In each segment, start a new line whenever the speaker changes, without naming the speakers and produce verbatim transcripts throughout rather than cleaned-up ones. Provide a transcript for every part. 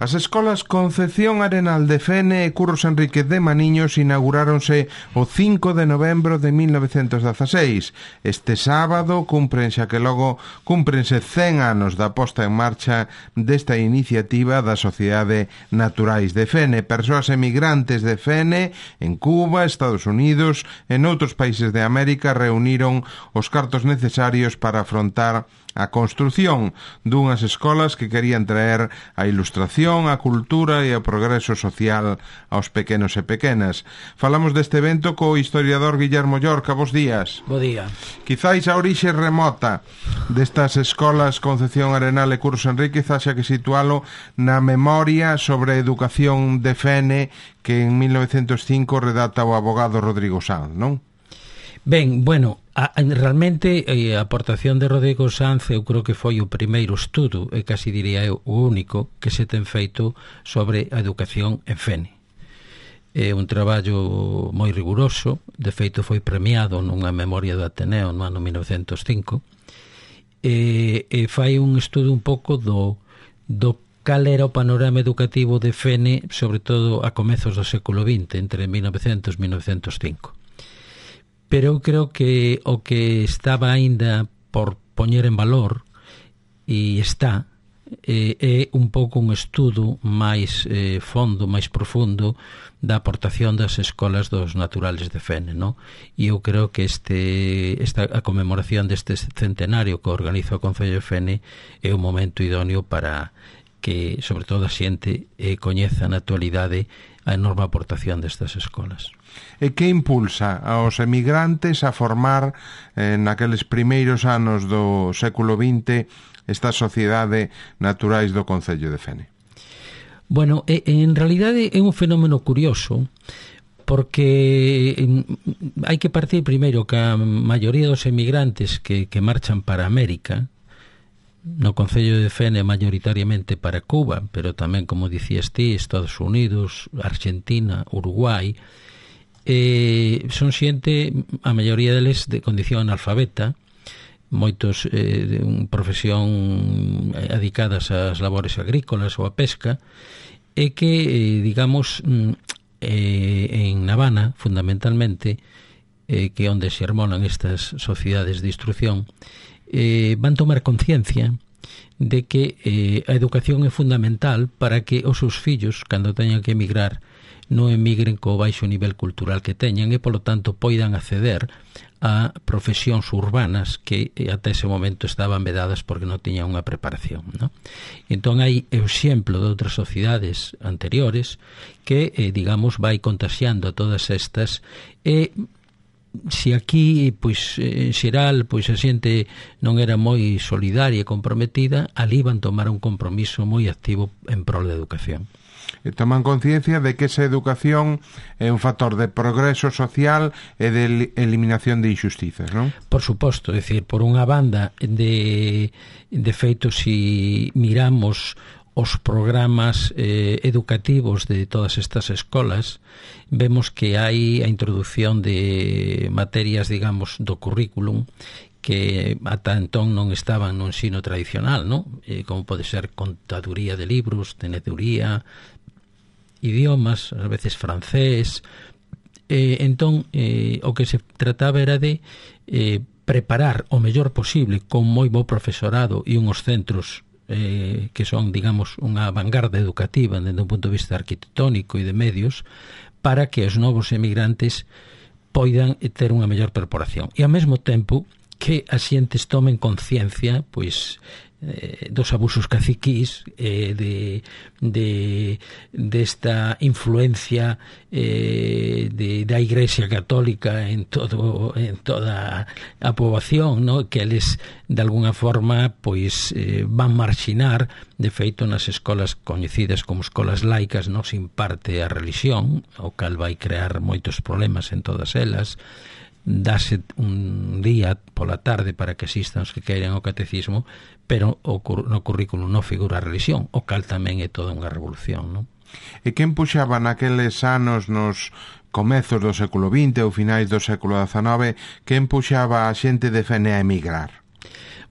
As escolas Concepción Arenal de Fene e Curros Enríquez de Maniños inauguráronse o cinco de novembro de mil novecentos dezaseis. Este sábado cumpren xa que logo cúmprense cen anos da posta en marcha desta iniciativa da Sociedade Naturais de Fene. Persoas emigrantes de Fene en Cuba, Estados Unidos e noutros países de América reuniron os cartos necesarios para afrontar a construción dunhas escolas que querían traer a ilustración, a cultura e o progreso social aos pequenos e pequenas. Falamos deste evento co historiador Guillermo Llorca. Bos días.
Bo día.
Quizáis a orixe remota destas escolas Concepción Arenal e Curros Enríquez haxa que situalo na memoria sobre a educación de Fene que en mil novecentos cinco redata o abogado Rodrigo Sanz, non?
Ben, bueno, a, realmente a aportación de Rodrigo Sanz eu creo que foi o primeiro estudo, e casi diría eu o único, que se ten feito sobre a educación en Fene. É un traballo moi riguroso, de feito foi premiado nunha memoria do Ateneo no ano mil novecentos cinco, e, e fai un estudo un pouco do, do cal era o panorama educativo de Fene, sobre todo a comezos do século vinte, entre mil novecentos e mil novecentos cinco. Pero eu creo que o que estaba aínda por poñer en valor, e está, eh, é un pouco un estudo máis eh, fondo, máis profundo da aportación das escolas dos naturales de Fene, non? E eu creo que este esta a conmemoración deste centenario que organiza o Concello de Fene é un momento idóneo para que, sobre todo, a xente eh, coñeza na actualidade a enorme aportación destas escolas.
E que impulsa aos emigrantes a formar eh, naqueles primeiros anos do século vinte esta Sociedade Naturais do Concello de Fene?
Bueno, en realidade é un fenómeno curioso, porque hai que partir primeiro que a maioría dos emigrantes que, que marchan para América, no Concello de Fene maioritariamente para Cuba, pero tamén, como dicías ti, Estados Unidos, Argentina, Uruguai, eh, son xente, a maioría deles de condición analfabeta, moitos eh, de un profesión adicadas ás labores agrícolas ou a pesca, e que, eh, digamos, eh, en Habana, fundamentalmente, eh, que onde se hermonan estas sociedades de instrucción, eh, van tomar conciencia de que eh, a educación é fundamental para que os seus fillos, cando teñan que emigrar, non emigren co baixo nivel cultural que teñan e, polo tanto, poidan acceder a profesións urbanas que até ese momento estaban vedadas porque non tiñan unha preparación, non? Entón, hai o exemplo de outras sociedades anteriores que, eh, digamos, vai contaxiando a todas estas e se aquí, pois, en xeral, pois a xente non era moi solidaria e comprometida, ali van tomar un compromiso moi activo en prol da educación.
E toman conciencia de que esa educación é un factor de progreso social e de eliminación de injustizas, non?
Por suposto, é dicir, por unha banda de, de feito, si miramos os programas eh, educativos de todas estas escolas, vemos que hai a introducción de materias, digamos, do currículum que ata entón non estaban no ensino tradicional, non? Eh, como pode ser contaduría de libros, teneduría, idiomas, a veces francés. Eh, entón, eh, o que se trataba era de eh, preparar o mellor posible con moi bo profesorado e unhos centros eh, que son, digamos, unha vanguarda educativa desde un punto de vista arquitectónico e de medios, para que os novos emigrantes poidan ter unha mellor preparación. E ao mesmo tempo que as xentes tomen conciencia, pois, eh, dos abusos caciquís, eh, de, de desta influencia eh, de, da Igrexa Católica en todo en toda a poboación, ¿no? Que eles de alguna forma pois eh, van marxinar. De feito, nas escolas coñecidas como escolas laicas non se imparte a religión, o cal vai crear moitos problemas en todas elas. Dase un día pola tarde para que asistan os que queiran ao catecismo, pero o, no currículum non figura a religión, o cal tamén é toda unha revolución, non?
E quen puxaba naqueles anos, nos comezos do século vinte ou finais do século dezanove, quen puxaba a xente de Fene a emigrar?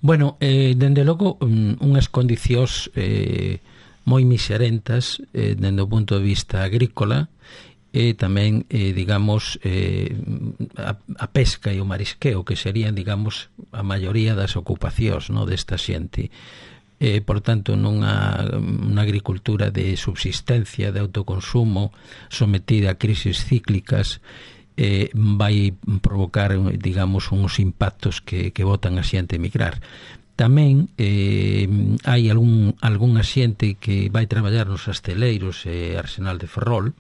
Bueno, eh, dende logo, unhas condicións eh, moi miserentas eh, dende o punto de vista agrícola, e tamén, eh, digamos, eh, a, a pesca e o marisqueo, que serían, digamos, a maioría das ocupacións, no, desta xente. Eh, por tanto, nunha, unha agricultura de subsistencia, de autoconsumo, sometida a crisis cíclicas, eh, vai provocar, digamos, uns impactos que, que botan a xente a emigrar. Tamén eh, hai algún, algún xente que vai traballar nos asteleiros e Arsenal de Ferrol,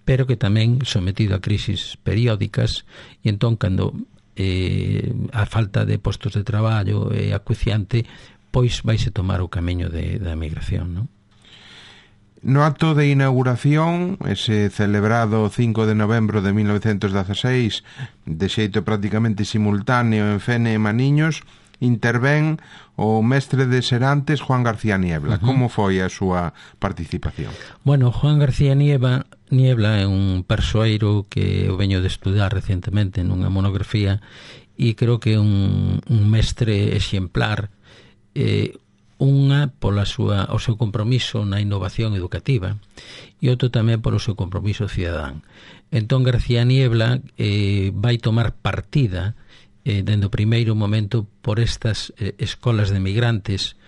pero que tamén sometido a crisis periódicas, e entón, cando eh, a falta de postos de traballo é acuciante, pois vaise tomar o camiño de, da migración, non?
No acto de inauguración, ese celebrado cinco de novembro de mil novecentos dezasseis, de xeito prácticamente simultáneo en Fene e Maniños, intervén o mestre de Serantes, Juan García Niebla. Uh-huh. Como foi a súa participación?
Bueno, Juan García Niebla, Niebla é un persoeiro que eu veño de estudar recentemente nunha monografía, e creo que é un, un mestre exemplar, eh, unha pola súa, o seu compromiso na innovación educativa, e outro tamén polo seu compromiso cidadán. Entón García Niebla eh, vai tomar partida eh, dende o primeiro momento por estas eh, escolas de migrantes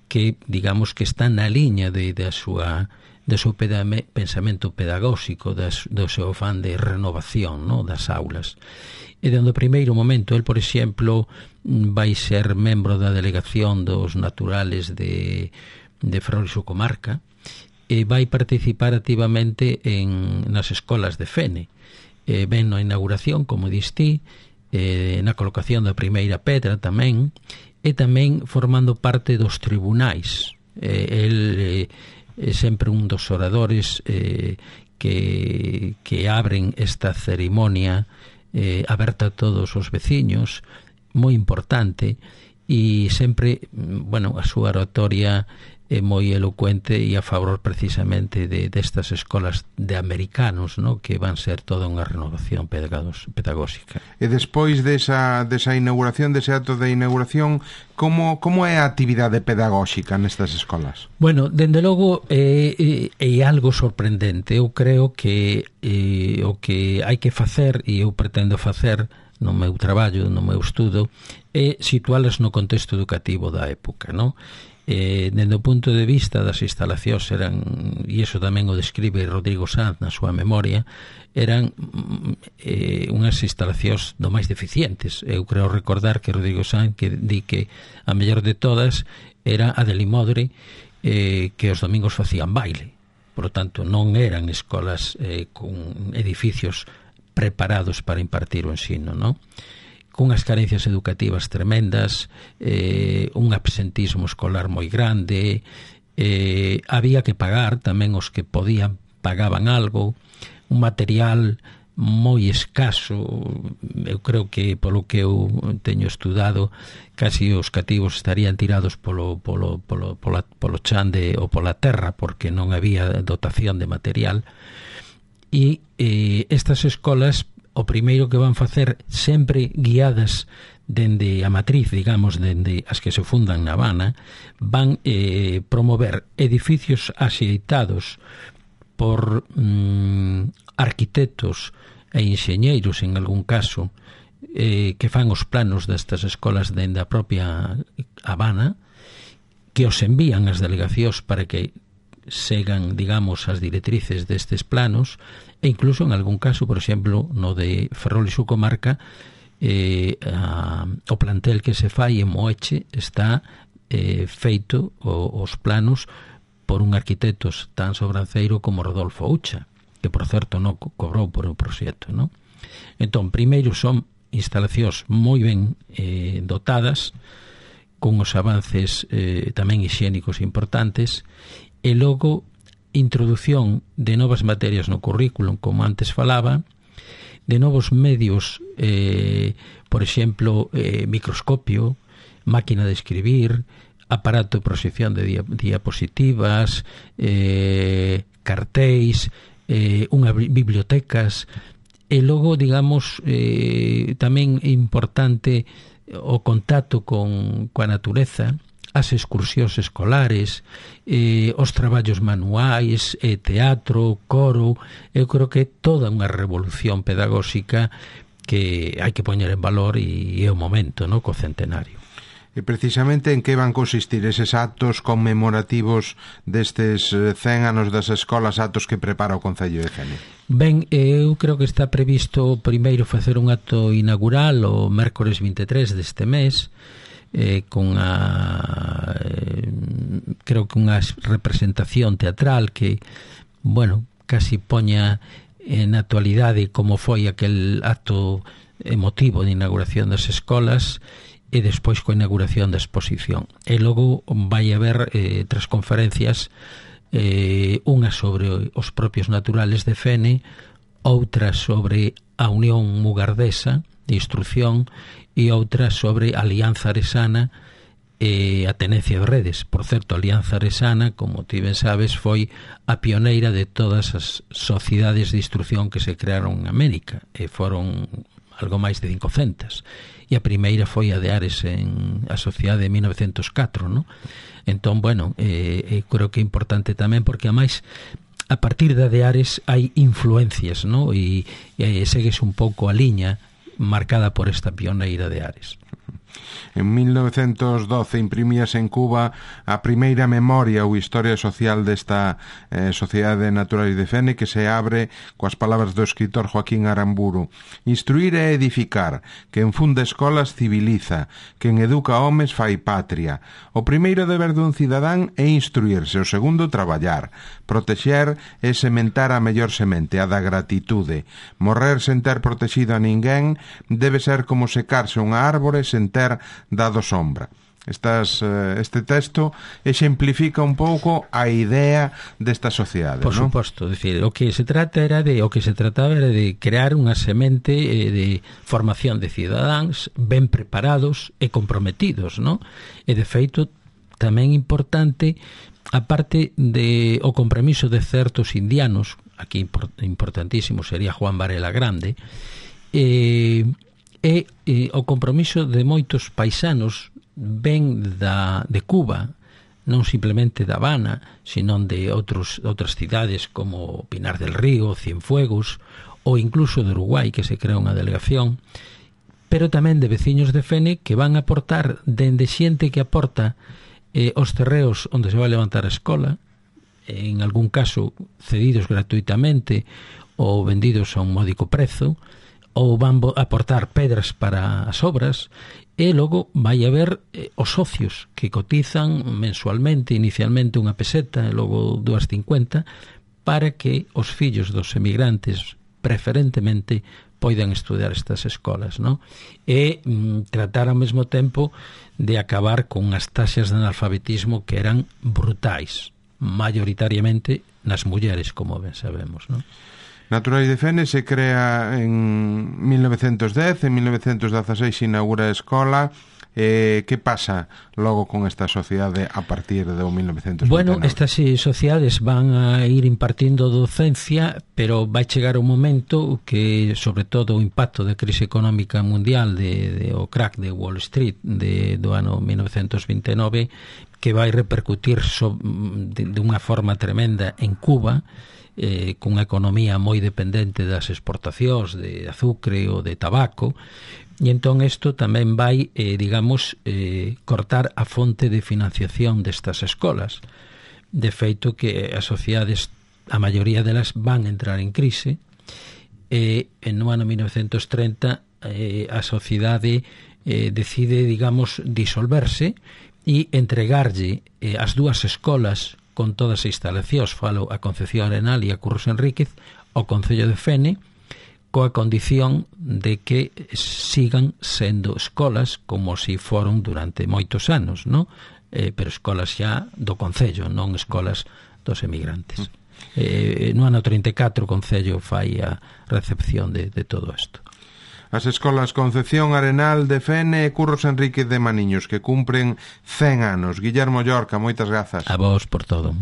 que, digamos, que están na liña de, de a súa do seu pedame, pensamento pedagóxico, das, do seu afán de renovación, no, das aulas. E dende o primeiro momento, el, por exemplo, vai ser membro da delegación dos naturales de, de Ferrol e súa comarca, e vai participar activamente en, nas escolas de Fene. E ven na inauguración, como distí, eh, na colocación da primeira pedra tamén, e tamén formando parte dos tribunais. Eh, el eh, é sempre un dos oradores eh, que, que abren esta cerimonia eh, aberta a todos os veciños, moi importante, e sempre, bueno, a súa oratoria é moi elocuente e a favor precisamente de destas escolas de americanos, no, que van ser toda unha renovación pedagóxica.
E despois desa, desa inauguración, dese acto de inauguración, como, como é a actividade pedagóxica nestas escolas?
Bueno, dende logo é, é, é algo sorprendente. Eu creo que eh, o que hai que facer, e eu pretendo facer no meu traballo, no meu estudo, é situalas no contexto educativo da época, non? Eh, dende o punto de vista das instalacións eran, e iso tamén o describe Rodrigo Sanz na súa memoria, eran eh, unhas instalacións do máis deficientes. Eu creo recordar que Rodrigo Sanz que di que a mellor de todas era a de Limodre, eh, que os domingos facían baile. Por lo tanto, non eran escolas eh, con edificios preparados para impartir o ensino, non? Cunhas carencias educativas tremendas, eh, un absentismo escolar moi grande, eh, había que pagar, tamén os que podían pagaban algo, un material moi escaso. Eu creo que, polo que eu teño estudado, casi os cativos estarían tirados polo, polo, polo, polo, polo chan de, ou pola terra, porque non había dotación de material. E eh, estas escolas, o primeiro que van facer, sempre guiadas dende a matriz, digamos, dende as que se fundan na Habana, van eh, promover edificios axeitados por mm, arquitectos e enxeñeiros, en algún caso, eh, que fan os planos destas escolas dende a propia Habana, que os envían as delegacións para que segan, digamos, as directrices destes planos, e incluso en algún caso, por exemplo, no de Ferrol e súa comarca, eh, a, o plantel que se fai en Moeche está eh, feito o, os planos por un arquitecto tan sobranceiro como Rodolfo Ucha, que por certo non cobrou por o proxecto, non? Entón, primeiro son instalacións moi ben eh, dotadas, con os avances eh, tamén higiénicos importantes, e logo introdución de novas materias no currículum, como antes falaba, de novos medios, eh, por exemplo, eh, microscopio, máquina de escribir, aparato de proxección de dia, diapositivas, eh, cartéis, eh, unha bibliotecas, e logo, digamos, eh, tamén é importante o contacto con coa natureza, as excursións escolares, eh, os traballos manuais, eh, teatro, coro. Eu creo que é toda unha revolución pedagóxica que hai que poñer en valor, e é o momento, no, co centenario.
E precisamente en que van consistir eses actos conmemorativos destes cen anos das escolas, actos que prepara o Concello de Fene?
Ben, eu creo que está previsto primeiro facer un acto inaugural o mércores vinte e tres deste mes, eh, con a eh, creo que unha representación teatral que, bueno, casi poña en actualidade como foi aquel acto emotivo de inauguración das escolas, e despois coa inauguración da exposición. E logo vai haber eh, tres conferencias, eh, unha sobre os propios naturales de Fene, outra sobre a Unión Mugardesa de Instrucción e outra sobre a Alianza Aresana e a tenencia de redes. Por certo, a Alianza Aresana, como ti ben sabes, foi a pioneira de todas as sociedades de instrucción que se crearon en América, e foron algo máis de cincocentas. E a primeira foi a de Ares, en a sociedade de mil novecientos catro, no? Entón, bueno, eh, eh, creo que é importante tamén porque, a máis, a partir da de Ares hai influencias, no? E, e segues un pouco a liña marcada por esta pioneira de Ares.
En mil novecientos doce imprimíase en Cuba a primeira memoria ou historia social desta eh, Sociedade de Naturales de Fene, que se abre coas palabras do escritor Joaquín Aramburu: instruir é edificar, quen funda escolas civiliza, quen educa homes fai patria. O primeiro deber dun cidadán é instruirse, o segundo traballar, protexer é sementar a mellor semente, a da gratitude. Morrer sen ter protexido a ninguén debe ser como secarse unha árbore sen ter dado sombra. Estas, este texto exemplifica un pouco a idea desta sociedade,
por
non?
suposto, decir, o que se trata era de o que se trataba era de crear unha semente eh, de formación de cidadáns ben preparados e comprometidos, non? E de feito tamén importante, a parte de o compromiso de certos indianos, aquí importantísimo sería Juan Varela Grande, eh e eh, o compromiso de moitos paisanos ben da, de Cuba, non simplemente da Habana, sino de outros, outras cidades como Pinar del Río, Cienfuegos, ou incluso de Uruguai, que se crea unha delegación, pero tamén de veciños de Fene que van a aportar, dende xente que aporta eh, os terreos onde se vai levantar a escola, en algún caso cedidos gratuitamente ou vendidos a un módico prezo, ou van aportar pedras para as obras, e logo vai haber eh, os socios que cotizan mensualmente, inicialmente unha peseta e logo dúas cincuenta, para que os fillos dos emigrantes preferentemente poidan estudar estas escolas, non? E mm, tratar ao mesmo tempo de acabar con as taxas de analfabetismo que eran brutais, maioritariamente nas mulleres, como ben sabemos, non?
Naturales de Fene se crea en mil novecientos dez, en mil novecientos dezaseis se inaugura a escola. Eh, que pasa logo con esta sociedade a partir do mil novecientos vinte e nove?
Bueno, estas sociedades van a ir impartindo docencia, pero vai chegar un momento que, sobre todo, o impacto da crise económica mundial de, de o crack de Wall Street de, do ano mil novecientos vinte e nove, que vai repercutir so, de, de unha forma tremenda en Cuba, eh, cunha economía moi dependente das exportacións de azucre ou de tabaco, e entón isto tamén vai, eh, digamos, eh, cortar a fonte de financiación destas escolas. De feito que as sociedades, a maioría delas, van entrar en crise, e no ano mil novecientos treinta eh, a sociedade eh, decide, digamos, disolverse e entregarlle eh, as dúas escolas con todas as instalacións, falo a Concepción Arenal e a Curros Enríquez, ao Concello de Fene, coa condición de que sigan sendo escolas como si foron durante moitos anos, non? Eh, pero escolas xa do Concello, non escolas dos emigrantes. Eh, no ano trinta e catro o Concello fai a recepción de, de todo isto.
As escolas Concepción Arenal de Fene e Curros Enríquez de Maniños, que cumpren cen anos. Guillermo Llorca, moitas grazas.
A vos por todo.